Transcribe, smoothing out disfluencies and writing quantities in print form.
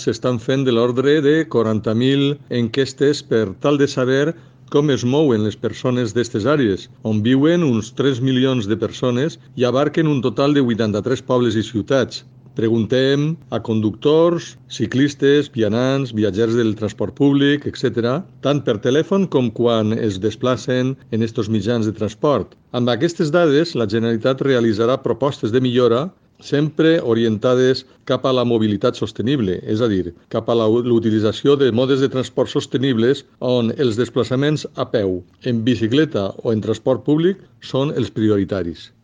s'estan fent de l'ordre de 40.000 enquestes per tal de saber com es mouen les persones d'aquestes àrees, on viuen uns 3 milions de persones i abarquen un total de 83 pobles i ciutats. Preguntem a conductors, ciclistes, vianants, viatgers del transport públic, etc., tant per telèfon com quan es desplacen en estos mitjans de transport. Amb aquestes dades, la Generalitat realitzarà propostes de millora sempre orientades cap a la mobilitat sostenible, és a dir, cap a l'utilització de modes de transport sostenibles on els desplaçaments a peu, en bicicleta o en transport públic són els prioritaris.